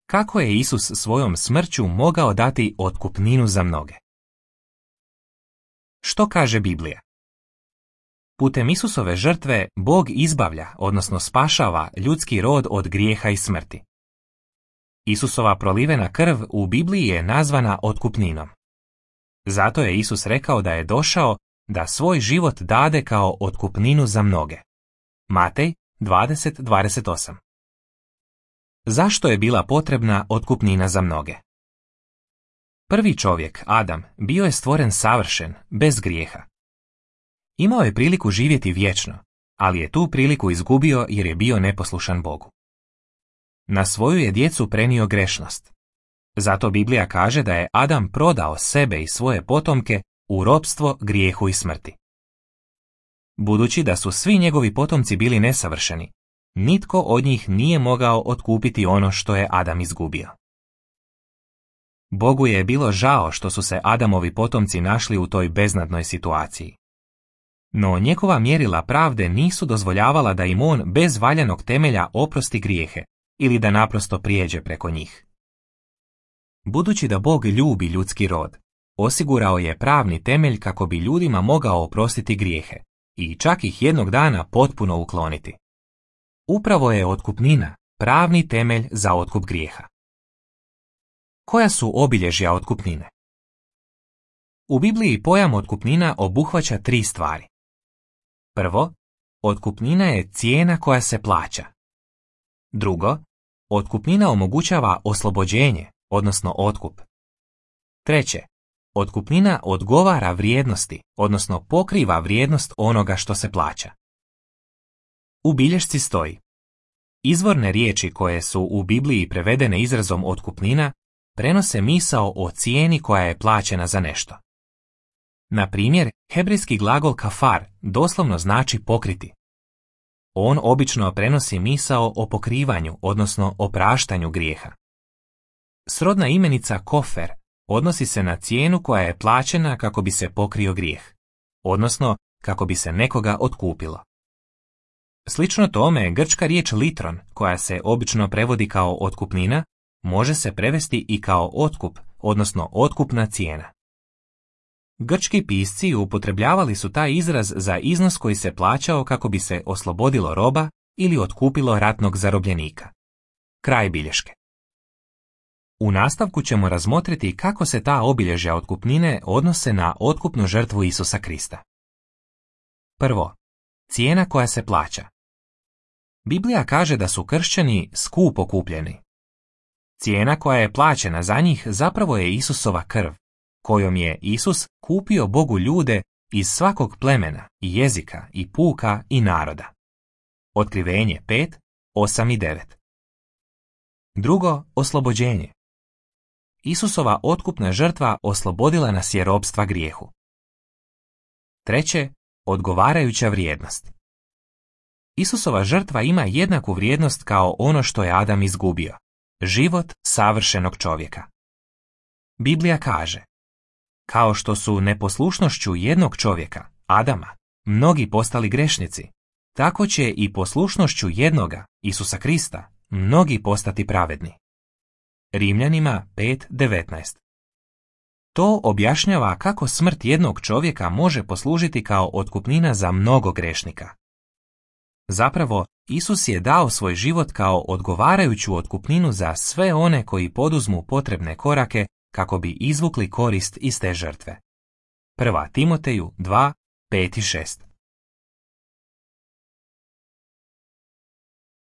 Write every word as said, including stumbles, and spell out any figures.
Kako je Isus svojom smrću mogao dati otkupninu za mnoge? Što kaže Biblija? Putem Isusove žrtve Bog izbavlja, odnosno spašava ljudski rod od grijeha i smrti. Isusova prolivena krv u Bibliji je nazvana otkupninom. Zato je Isus rekao da je došao da svoj život dade kao otkupninu za mnoge. Matej dvadeset dvadeset osam. Zašto je bila potrebna otkupnina za mnoge? Prvi čovjek, Adam, bio je stvoren savršen, bez grijeha. Imao je priliku živjeti vječno, ali je tu priliku izgubio jer je bio neposlušan Bogu. Na svoju je djecu prenio grešnost. Zato Biblija kaže da je Adam prodao sebe i svoje potomke u ropstvo, grijehu i smrti. Budući da su svi njegovi potomci bili nesavršeni, nitko od njih nije mogao otkupiti ono što je Adam izgubio. Bogu je bilo žao što su se Adamovi potomci našli u toj beznadnoj situaciji. No njegova mjerila pravde nisu dozvoljavala da im on bez valjanog temelja oprosti grijehe ili da naprosto prijeđe preko njih. Budući da Bog ljubi ljudski rod, osigurao je pravni temelj kako bi ljudima mogao oprostiti grijehe i čak ih jednog dana potpuno ukloniti. Upravo je otkupnina pravni temelj za otkup grijeha. Koja su obilježja otkupnine? U Bibliji pojam otkupnina obuhvaća tri stvari. Prvo, otkupnina je cijena koja se plaća. Drugo, otkupnina omogućava oslobođenje, odnosno otkup. Treće, otkupnina odgovara vrijednosti, odnosno pokriva vrijednost onoga što se plaća. U bilješci stoji: izvorne riječi koje su u Bibliji prevedene izrazom otkupnina prenose misao o cijeni koja je plaćena za nešto. Na primjer, hebrejski glagol kafar doslovno znači pokriti. On obično prenosi misao o pokrivanju, odnosno opraštanju grijeha. Srodna imenica kofer odnosi se na cijenu koja je plaćena kako bi se pokrio grijeh, odnosno kako bi se nekoga otkupilo. Slično tome, grčka riječ litron, koja se obično prevodi kao otkupnina, može se prevesti i kao otkup, odnosno otkupna cijena. Grčki pisci upotrebljavali su taj izraz za iznos koji se plaćao kako bi se oslobodilo roba ili otkupilo ratnog zarobljenika. Kraj bilješke. U nastavku ćemo razmotriti kako se ta obilježja otkupnine odnose na otkupnu žrtvu Isusa Krista. Prvo, cijena koja se plaća. Biblija kaže da su kršćani skupo kupljeni. Cijena koja je plaćena za njih zapravo je Isusova krv, kojom je Isus kupio Bogu ljude iz svakog plemena, i jezika, i puka, i naroda. Otkrivenje pet, osam i devet. Drugo, oslobođenje. Isusova otkupna žrtva oslobodila nas je ropstva grijehu. Treće, odgovarajuća vrijednost. Isusova žrtva ima jednaku vrijednost kao ono što je Adam izgubio, život savršenog čovjeka. Biblija kaže: kao što su neposlušnošću jednog čovjeka, Adama, mnogi postali grešnici, tako će i poslušnošću jednoga, Isusa Krista, mnogi postati pravedni. Rimljanima pet devetnaest. To objašnjava kako smrt jednog čovjeka može poslužiti kao otkupnina za mnogo grešnika. Zapravo, Isus je dao svoj život kao odgovarajuću otkupninu za sve one koji poduzmu potrebne korake kako bi izvukli korist iz te žrtve. Prva Timoteju dva, pet i šest.